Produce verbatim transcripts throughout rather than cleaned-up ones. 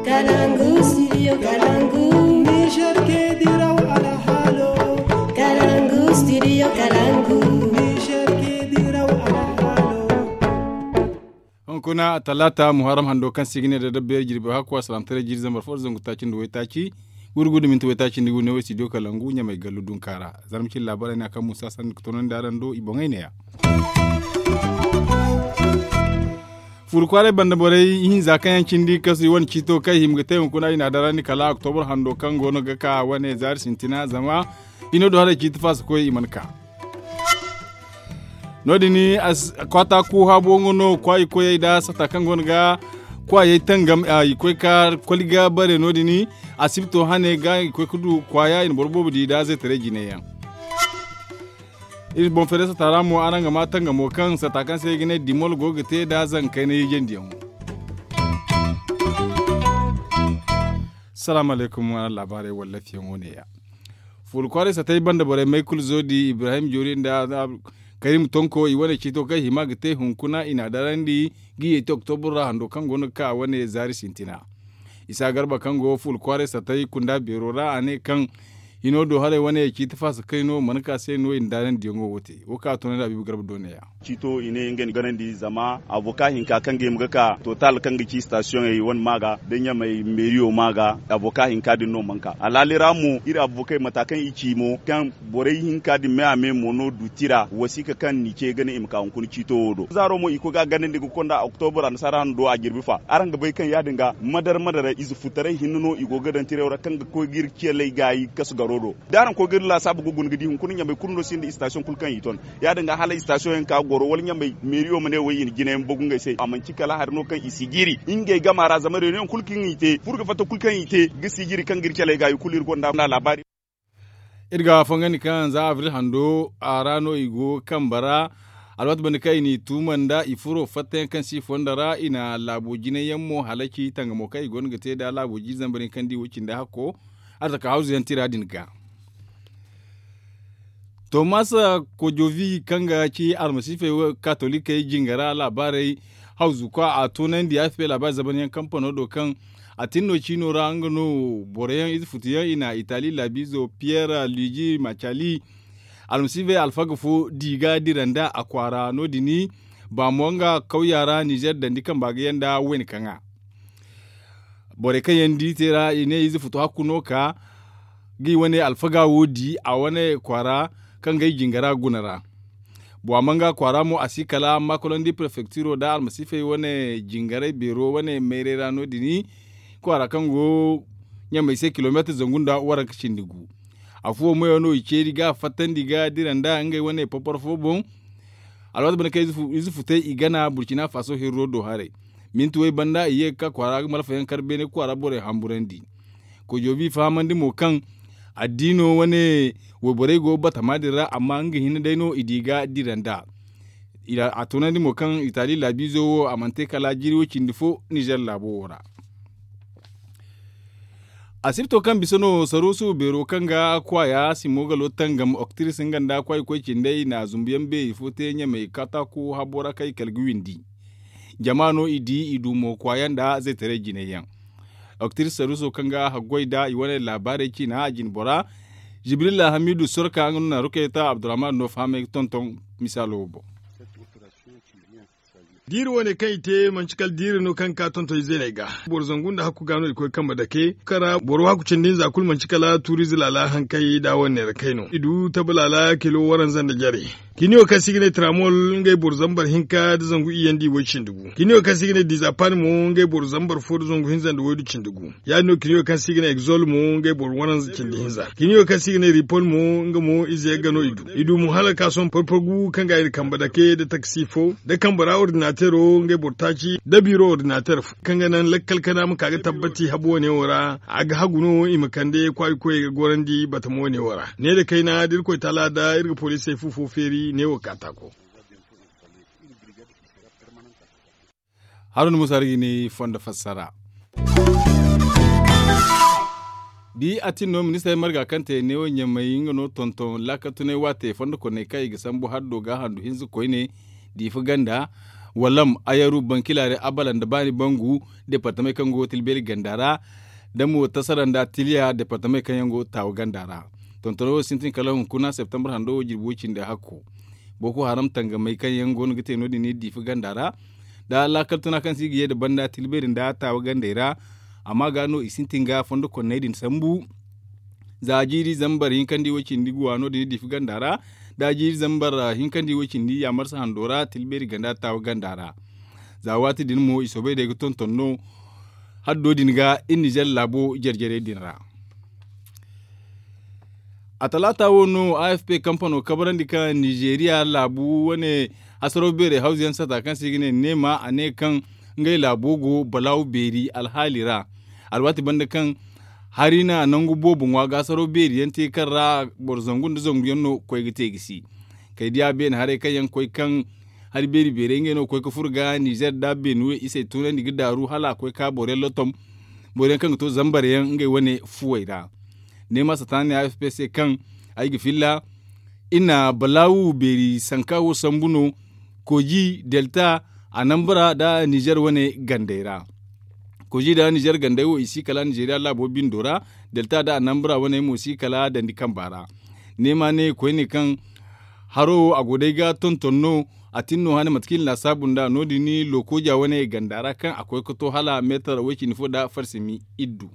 Kalangu studio kalangu. Niger ke diraw alhalo. Kalangu studio kalangu. Niger ke diraw alhalo. Hunkuna a talaata muharram hando kaŋ se i ga ne da dabbeeri jirbi hakku a salaamtaray jiiri zambar fo da zangu taaci nda waytaaci, gurgudu minti waytaaci nda gu ne wo studio kalangu ɲamay gallu dunka ra. Zarma cine laabaarey no a kaŋ muusa sanda ga toonandi araŋ do i boŋey ne- ya. Fuuru kwaaray banda borey ihinza kaŋ yaŋ cindi kasu i wane ciito kaŋ i hima ga te hunkuna i n'a darandi kala oktobur hando kaŋ go no ga ka wane zaari sintina zama hino do haray ciiti faasa koy i mana ka. No- din kwaata ku habo nga no kwaayi koyey nda sata kaŋ go no ga kwaayey tangam i koy ka koli ga bare no- din asibto hane ga i koy ga du kwaaya i na boro boobo di nda zeetaray jinay yaŋ. Iri boŋ feeray sata ra mo araŋ ga ma tangamo kaŋ sata kaŋ se i ga ne dimol go ga te nda zankayna hijandiyaŋo. Salaamu alaykum araŋ laabaarey wallafiyaŋo ne- ya. Fuula kwaaray satay banda borey maykul zoodi ibrahim joori nda karim tonko i wane ciito kaŋ hima ga te hunkuna i n'a darandi ga i yeti oktobur ra hando kaŋ go no ga ka a wane zaari sintina. Isa garba kaŋ go fuula kwaaray satay kunda beero ra a ne kaŋ hino do haray wane ciiti faasa kayno mana ka se no i na daarandiyaŋo wo te wo kaŋ a toonandi habiibu garba do ne- ya. Ciito i ne ngey na ganandi zama avoka hinka kaŋ ga hima ga ka total kaŋ ga ci sitasiyoŋey wane ma ga da ɲamey meeriyo ma ga. Avoka hinka din no mana ka alhaali ra mo iri avokey mata kaŋ i ci mo kaŋ borey hinka din me a me mo no duti ra wasiika kaŋ n'i ce ga ne i ma ka hunkuna ciito wo do zaaro mo i koy ga a ganandi ga konda oktobur annasaara hanno do a jirbi fa araŋ ga bay kaŋ ya- din ga madar madar ize futaray hinne no i go ga daŋ tirayo ra kaŋ ga koy ga iri ciyaley gaayi kasu garo do. Da araŋ koy ga iri laasaabu ga guna ga di hunkuna ɲamey kulu no sinda istasiyoŋ kulu kaŋ i ton ya- din ga hala istasiyoŋ yaŋ ka goro wala ɲamey meeriyo ma ne wo i na jina yaŋ bagu ngey se a manci kala hari no kaŋ i si jiiri ngey gama ra zama reuniyoŋ kulu kaŋ i te furo ga fatta kulu kaŋ i te ga si jiiri kaŋ ga iri caley ga i kulu iri gonda laabaari. Iri ga fongandi kaŋ za abril hando a ra no i go ga kambe ra alwaati banda kaŋ i n'i tuuma nda i furo fattayaŋ kaŋ si fonda ra i na laabo jinay yaŋ mo halaci tangamo kaŋ i go no ga te nda laabo jiiri zambar yaŋ kaŋ di wo cindi hakko. Arzaka hawzu yaŋ tira din ga tomas kojovi kaŋ ga ci almasiifey katolikey jingara laabaarey hawzu kwa a toonandi a fifey laabaari zamanyaŋ kampano do kaŋ a tin no ciino ra nga no boro yaŋ ize futu yaŋ i na itali laabiizo piyer luigi macali almasiifey alfaga fo di ga dira nda a kwaara no- din baamo nga kawya ra nizer dandi kamba ga yaŋ nda wayna kaŋa. Borey kaŋ yaŋ di te ra i ne ize futu hakku no ka ga i wane alfaga wo di a wane kwaara kaŋ ga ay jingara guna ra. Bowa manga kwaara mo a si kala makolandi prefecturo nda almasiifey wane jingaray beero wane mayray ra no- din kwaara kaŋ go ɲamey se kilomeetar zangu nda waranka cindi gu. Afuwo mayo no i ceeri ga fattandi ga dira nda ngey wane popor fo boŋ. Alwaati banda kaŋ ize futay i gana burcina faso hirro do haray minti way banda i ye ga ka kwaara ga malfayaŋ kar beene kwaara borey hamburandi. Koy joobi fahamandi mo kaŋ addiino wane wayborey go batama din ra amma nga hinne day no i di ga dira nda. A toonandi mo kaŋ itali laabiizo wo a mana te kala jiiri wo cindi fo nizer laabo wo ra. Asibto kaŋ bisa no saruusu beero kaŋ ga kwaaya simo ga loo tangam oktiris nga nda kwaay koy cindey na zumbuyaŋ beeri fo te ɲamey kataaku habbo ra kaŋ i kala ga windi. Jama no i di i du mo kwaaya nda zaytaray jinay yaŋ. Oktiris saruuso kaŋ ga haggoy nda i wane laabaarey ciina a jine bora jibrila hamidu sorka nga no na rukayta abdurrahman no fahamay ga tonton. Misaalo wo boŋ. Diiri wane kaŋ i te manci kala diiri no kaŋ ga ka tonton izeeney ga. Boro zangu nda hakku ga no i koy kambe dake kaŋ ra boro hakku cindi hinza kulu manci kala tuuriize laala hankay da wane neera kay no i du tabe laala kilo waranza nda jare. Kiniyo kaŋ se i ga ne tramol ngey boro zambar hinka nda zangu iyandi way cindi gu kiniyo kaŋ se i ga ne dizapani mo ngey boro zambar fo nda zangu hinza nda waydu cindi gu. Ya- din no kiniyo kaŋ se i ga ne egzol mo ngey boro waranza cindi hinza kiniyo kaŋ se i ga ne ripol mo nga mo ize yagga no i du i du mo hala ka sohõ porpor gu kaŋ ga iri kambe dake nda taksi fo nda kambe ra ordinatero ngey boro taaci nda biro ordinater fo kaŋ ga naŋ lakkal kana ma ka ga tabbati habu wane wo ra. A ga hagu no i ma kande kwaari koyey ga gorandi batama wane wo ra ne nda kayna da irkoy taala da iri ga poliisey fu fo feeri ne wo ga ka taako. Haruna musa rigi ni fondo fassara. Bi a tin no ministarey marga kaŋ te neewo ɲamay nga no tonton laakatunay waate fondo konney kaŋ i ga sambu haddo ga handu hinza koyne diifa ganda. Walam, ayaru, bankilare, abala nda baani bangu, departamey kaŋ go tilbeeri ganda ra, da mo tasara nda tiliya departamey kaŋ yaŋ go taawa ganda ra. Tontono wo sintin kala hunkuna septembre hando wo jirbi wo cindi hakko. Boko haram tangamey kaŋ yaŋ go no ga te no- din diifa ganda ra, da laakal tuna kaŋ se i ga ye nda banda tilbeeri nda taawa gandey ra. Amma ga no i sintin ga fondo konney din sambu. Za jiiri zambar hinkandi wo cindi guwa no- din diifa ganda ra, da jiiri zambar hinkandi wo cindi yaamarsa hando ra tilbeeri ganda taawa ganda ra. Za waati din mo i soobay day ga tonton no haddo din ga iri nizer laabo jare-jarey din ra. A talaata wo no a f p kampano kabarandi ka nizeeriya laabu wane hasaraw beerey hawzu yaŋ sata kaŋ se i ga ne neema a ne kaŋ ngey laabo go balaawu beeri alhaali ra. Alwaati banda kaŋ hari na nangu boobo ŋwa ga hasaraw beeri yaŋ te kaŋ ra boro zangu nda zangu yaŋ no koy ga te ga si. Kay diya beene haray kaŋ yaŋ koy kaŋ hari beeri beerey ngey no koy ga furo ga nizer nda beene we isey tunandi ga daaru hala a koy ka boro yaŋ lottom. Boro yaŋ kaŋ ga to zambar yaŋ ngey wane fuwey ra. Neema sataani a f p se kaŋ ay ga filla i na balaawu beeri sanka wo sambu no. Koji delta a nambara nda nizer wane gandey ra. Koji nda nizer gandey wo i si kala nizeeriya laabo bindo ra. Delta nda a nambara wane mo si kala dandi kamba ra. Neema ne koyne kaŋ haro wo a go day ga tonton no. A tin no hane mate kaŋ i na laasaabu nda no- din lokoja wane ganda ra kaŋ a koy ga to hala meetar way- cindi fo nda farsimi iddu.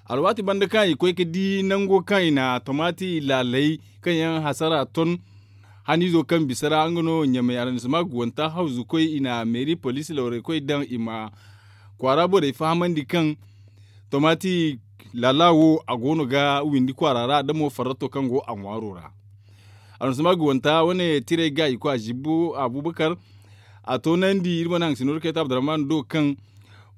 Alwaati banda kaŋ i koy ga di nango kaŋ i na tomaati laalay kaŋ yaŋ hasara ton haniizo kaŋ bisa ra nga no ɲamay arrondissement guwanta hawzu koy i na meeri poliisi lawray koy daŋ i ma kwaara borey fahamandi kaŋ tomaati laala wo a go no ga windi kwaara ra da mo farrato kaŋ go a ŋwaaro ra. Arrondissement guwanta wane tiray ga i ko a zibbo abubakar a toonandi iri mana haŋ sinor kayta abdurrahman do kaŋ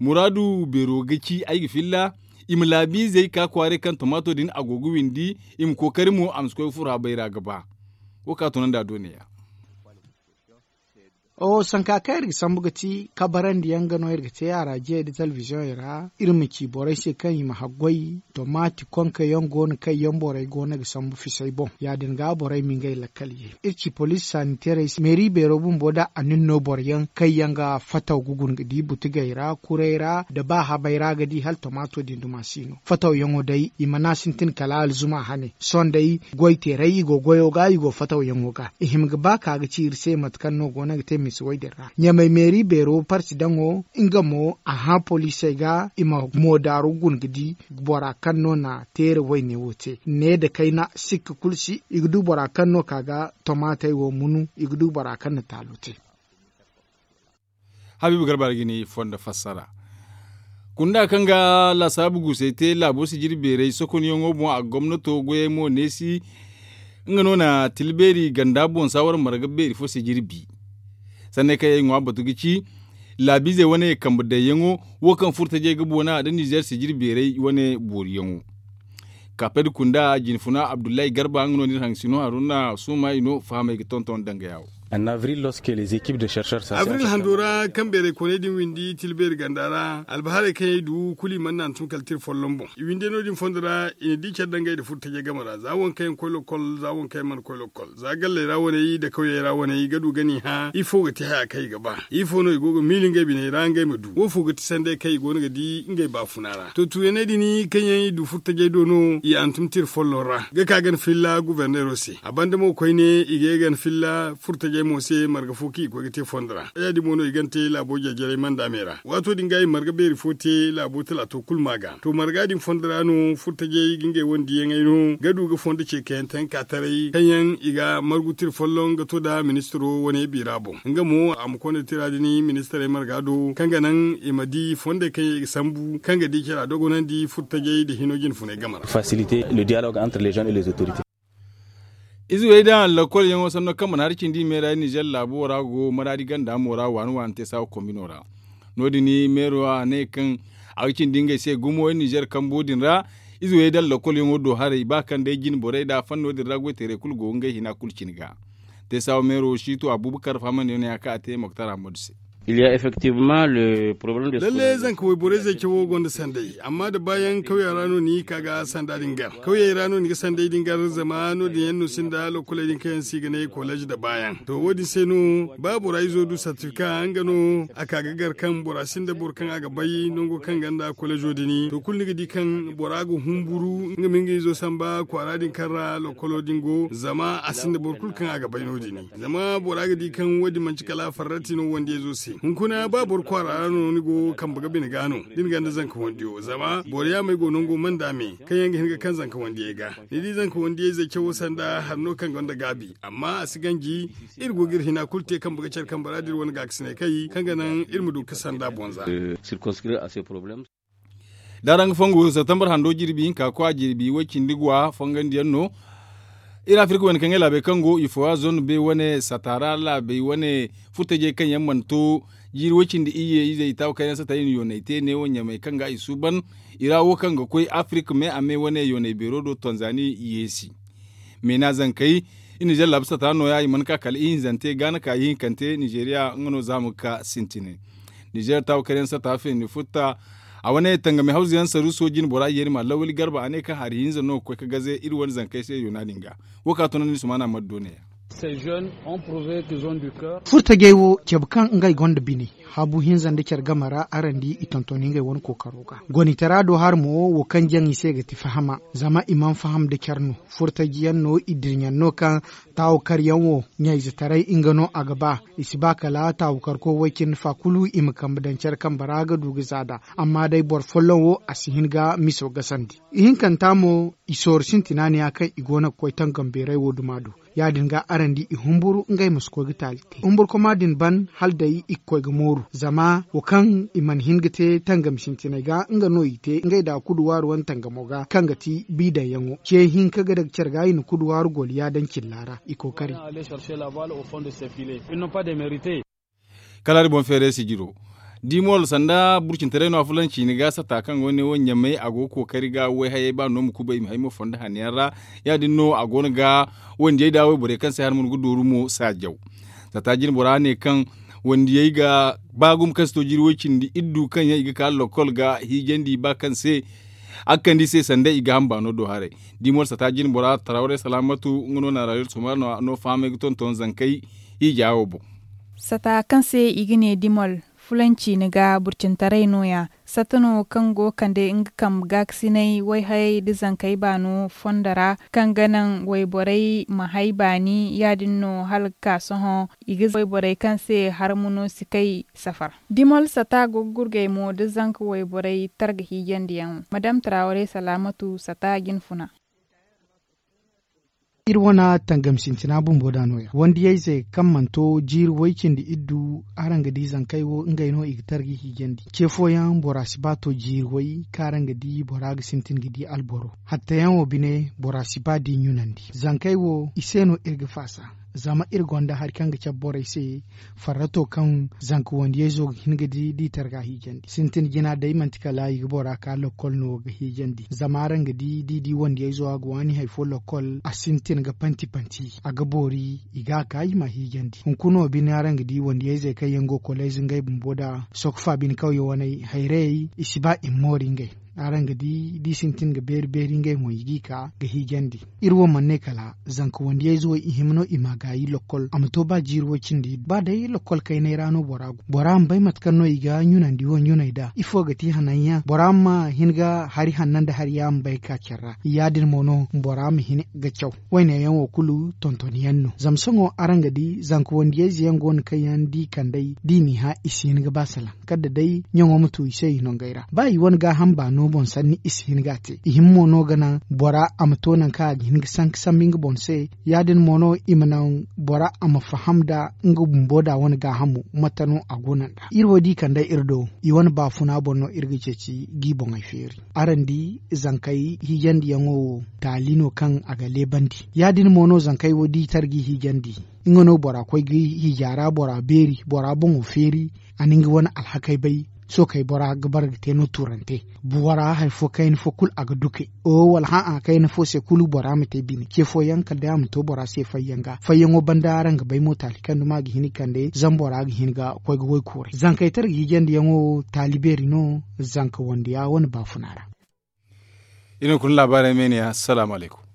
muraadu beero ga ci ay ga filla i ma laabiizey ka kwaaray kaŋ tomaato din a go ga windi i ma kookari mo a ma si koy ga furo habay ra ga ba. Wo kaŋ a toonandi a do neeya. Oho sanka kaŋ iri ga sambu ga ti kabarandi yaŋ ga no iri ga te araajiyey nda telebiziyoŋey ra iri ma ci borey se kaŋ i ma haggoy tomaati konka yaŋ go no kaŋ yaŋ borey go no ga sambu fisay boŋ ya- din ga borey ma ngey lakkal ye. Iri ci poliisi saniteerey se meeri beero bumbo nda a nin no boro yaŋ kaŋ yaŋ ga fataw ga guna ga di butugey ra kuray ra nda ba habay ra ga di hala tomaato din duma si no fataw yaŋo day i mana sintin kala alzuma hane sohõ day goy teeray i go goyo ga i go fataw yaŋo ga i hima ga ba ka ga ci iri se mate kaŋ no go no ga te misi way din ra ɲamay meeri beero parti daŋo nga mo a hã poliisey ga i ma moodaaru guna ga di bora kaŋ no na teere wayne wo te ne nda kayna sikka kulu si i ga du bora kaŋ no ka ga tomaatey wo munu i ga du bora kaŋ na taalo te. Habiibu garba ra ga ni fondo fassara kunda kaŋ ga laasaabu guusey te laabo sijiri beeray sokonyaŋo boŋ a gomnato goyey mo neesi nga no na tilbeeri ganda boŋ saawar marga beeri fo sijiri bi. Sanney kaŋ yaŋ ay ŋwa batu ga ci laabiizey wane kambe dayyaŋo wo kaŋ furtajey ga boona nda nizer sijiri beeray wane booriyaŋo. Kaaped kunda jinfuna abdullahi garba nga no nda iri haŋ sino haruna suuma i no fahamey ga tonton danga yaawo. Avril hando ra kaŋ beeray kooney din windi tilbeeri ganda ra albaharey kaŋ yaŋ ay du kulu i mana naŋ tun kala tira folloŋ boŋ i windi no- din fondo ra i na di care dangey nda furtajey game ra za waŋ kaŋ yaŋ koy lokol za waŋ kaŋ yaŋ mana koy lokol za galley ra waney nda kawyey ra waney ga du ga n'i hã ifo ga te haya kaŋ i ga ba ifo no i go ga miila ngey biney ra ngey ma du wo fo ga ti sanday kaŋ i go no ga di ngey baafuna ra to tuuyaney din kaŋ yaŋ i du furtajey do no i hantum tira folloŋ ra ga ka ga ni filla guberneero se a banda mo koyne i ga ye ga ni filla furtajey mo se marga fo kaŋ i koy ga te fondo ra ya- din mo no i ga ni te laabo jare-jarey manda me ra waato din ga i marga beeri fo te laabo talaato kulu ma ga to marga din fondo ra no furtajey ga ngey wane diyaŋey no ga du ga fondo ce kayantaŋ ka taray kaŋ yaŋ i ga margu tira folloŋ ga to nda ministiro wane biira boŋ nga mo a ma konda tira din ministirey marga do kaŋ ga naŋ i ma di fondey kaŋ yaŋ i ga sambu kaŋ ga di care a dogonandi furtajey nda hino jinfuney game ra. Faciliter le dialogue entre les jeunes et les autorités. Ize wey daŋ lakkol yaŋo sanno kaŋ mana hari cindi meera nizer laabo ra go maraadi ganda mo ra waani waani te saawa kombino ra. No- din meero a ne kaŋ a ga cindi ngey se gumo nizer kambo din ra. Ize wey daŋ lakkol yaŋo do haray ba kaŋ day jine borey nda fanno din ra goyteerey kulu go ngey hina kulu cine ga. Te saawa meero siito abubakar fahamandi yaŋ no ya kaŋ a te moktar ahmadu se. Lalle zanka wayborey zey cawo gonda sanday amma da baayaŋ kawya ra no ni ka ga sanda din gar kawyey ra no ni ga sanday din gar zama no- din yaŋ no sinda lokoley din kaŋ yaŋ se i ga ne kolej da baayaŋ to wo- din se no ba bora izo du sartifika nga no a ka ga gar kaŋ bora sinda boro kaŋ a ga bay nango kaŋ ganda kolejo din to kulu ni ga di kaŋ bora ga humburu nga ma nga izo samba kwaara din kaŋ ra lokolo din go zama a sinda boro kulu kaŋ a ga bay no- din zama bora ga di kaŋ wo- din manti kala farrati no wandiyayzo se hunkuna ba boro kwaara ra no ni go kambe ga bine ga no da ni ganda zanka wandiyo zama boro yaamey go nango manda me kaŋ yaŋ ga hin ga kaŋ zanka wandiyey ga ni di zanka wandiyayze cawo sanda hari no kaŋ gonda gaabi amma a si ganji iri go ga iri hina kulu te kambe ga care kambe ra da iri wane gaakasinay kay kaŋ ga naŋ iri ma du ga sanda bonza. Da araŋ ga fongu septembre hando jirbi hinka kwa jirbi way cindi gwa fongandiyaŋ no. Iri afirka wane kaŋ ga laabey kaŋ go i fowa zone be wane satara laabey wane furtajey kaŋ yaŋ mana to jiiri way cindi iyye izey i taawa kaŋ yaŋ sata i na yooney te neewo ɲamey kaŋ ga i suuban i ra wo kaŋ ga koy afirka me a me wane yooney beero do tanzani yeesi. Meena zankey i nizer laabu sata nooya i mana ka kala ihinzante ga na ka ihinkante nizeeriya nga no za ma ga ka sintinay. Nizer taawa kaŋ yaŋ sata feeni futta a wane tangami hawza yaŋ saru sooji ni bora yeeri ma lawali garba a ne kaŋ hari hinza no ga koy ga gaze iri wane zankey se yoona din ga. Wo ka tunandi sumaana maddo neeya. Furtajey wo cabe kaŋ ngey gonda bine haabu hinza nda care game ra araŋ di i tonton ngey wane kookaro ga gonitara do hari mo wo kaŋ jaŋ i se ga ti fahama zama i mana faham nda care no. Furtaji yaŋ no i dirɲaŋ no kaŋ taawukaryaŋ wo ɲayzetaray nga no a ga ba. I si ba kala taawukarko way cindi fa kulu i ma kambe daŋ care kambe ra ga du ga za nd'a amma day boro folloŋ wo a si hin ga miso gasandi. Ihinkanta mo i sooru sintina ne ya kaŋ i go no ga koy tangam beeray wo duma do. Ya- din ga araŋ di i humburu ngey ma si koy ga taali te humburkoma din ban hala day i ga koy ga mooru zama wo kaŋ i mana hin ga te tangam sintiney ga nga no i te ngey da kuduwaaru wane tangamo ga kaŋ ga ti biidaŋyaŋo ce hinka ga daga care ga i na kuduwaaru goliya daŋ cilla ra i kookari. Kala hari boŋ feeray sijiro dimol sanda burcintaray no a fulanci ni ga sata kaŋ go ne wo ɲamey a go ga kookari ga wayhayey ba no ma kubay i ma hay mo fondo hanno yaŋ ra. Ya- din no a go no ga wandiyey da wayborey kaŋ se hari mo ni ga dooru mo saajaw. Sata jine bora ne kaŋ wandiyey ga ba gumo kaŋ si to jiiri way cindi iddu kaŋ yaŋ i ga ka lokol ga hiijandi ba kaŋ se a ga kande i se sanda i ga hamba no do haray. Dimol sata jine bora tarawre salaamatu nga no na rayuwar sumar no fahamay ga tonton zankey hiija wo boŋ. Sata kaŋ se i ga ne dimol fulanci ni ga burcintaray nooya. Sata no kaŋ go ga kande nga kambe gaakasinay wayhayey nda zankey baano fondo ra kaŋ ga naŋ wayborey ma hay baani ya- din no hala ga ka sohõ i ga wayborey kaŋ se harmuno si kay safar. Dimol sata go ga gurgay mo nda zanka wayborey targa hiijandiyaŋo madam tarawre salaamatu sata jine funa. Iri wane tangam sintina bumbo da nooya wandiyayze kaŋ mana to jiiri way cindi iddu. Araŋ ga di zankey wo ngey no i ga targa hiijandi ce fooyaŋ bora si ba to jiiri way kaŋ araŋ ga di bora ga sintin ga di alboro hattayaŋo bine bora si ba di ɲunandi zankey wo i se no iri ga faasa. Zama iri gonda hari kaŋ ga cabe borey se farrato kaŋ zanka wandiyayzo ga hin ga di da i targa hiijandi sintin jina day manti kala i ga bora ka lokkol no ga hiijandi zama araŋ ga di da i di wandiyayzo a ga waani hari fo lokkol a sintin ga panti panti a ga boori i ga a ka i ma hiijandi hunkuna wo bine araŋ ga di wandiyayzey kaŋ yaŋ go koleyze ngey bumbo nda sokofa bine kawye waney hayrayey i si ba i ma moori ngey. Araŋ ga di da i sintin ga beeri beeri ngey mo i g'i ka ga hiijandi. Iri wo mana ne kala zanka wandiyayze wo i hima no i ma gaayi lokkol a ma to ba jiiri way cindi ba day lokkol kaynay ra no bora go bora ma bay mate kaŋ no i ga ɲunandi wo ɲunay nd'a ifo ga ti hananyaŋ bora ma hin ga hari hanno nda hari ya ma bay ga ka care ra ya- din mo no bora ma hin ga caw. Wayne yaŋ wo kulu tonton yaŋ no zama sohõ araŋ ga di zanka wandiyayze yaŋ go no kaŋ yaŋ da i kand'ey da i n'i hã i si hin ga ba salaŋ kala da day ɲaŋo ma tu i se i nongey ra ba i wane gaaham baano boŋ sanni i si hin ga a te i hima mo no ga naŋ bora a ma to nangu kaŋ a ga hin ga sanka sambu nga boŋ se. Ya- din mo no i ma naŋ bora a ma faham nda nga bumbo da wane gaahamo mate no a go no nd'a iri wo da i kand'ey iri do i wane baafuna boŋ no iri ga ceeci g'i boŋey feeri. Araŋ di zankey hiijandiyaŋo wo taali no kaŋ a ga leebandi. Ya- din mo no zankey wo da i tara g'i hiijandi nga no bora koy ga hiija ra bora beeri bora boŋo feeri a na nga wane alhakey bay. Sookey bora ga bara ga te no tuurante. Bora hari fo kayna fo kulu a ga duke. O wala hã'a kayna fo se kulu bora ma te bine ce fooyaŋ kala day a ma to bora se fayyaŋ ga fayyaŋo banda araŋ ga bay mo taali kaŋ duma a ga hin ga kande zama bora ga hin ga koy ga woy kuuray zankaytara ga hijandiyaŋo taali beeri no. Zanka wande ya wane baafuna ra. Iri ma kulu laabaarey meene ya salaamu alaykum.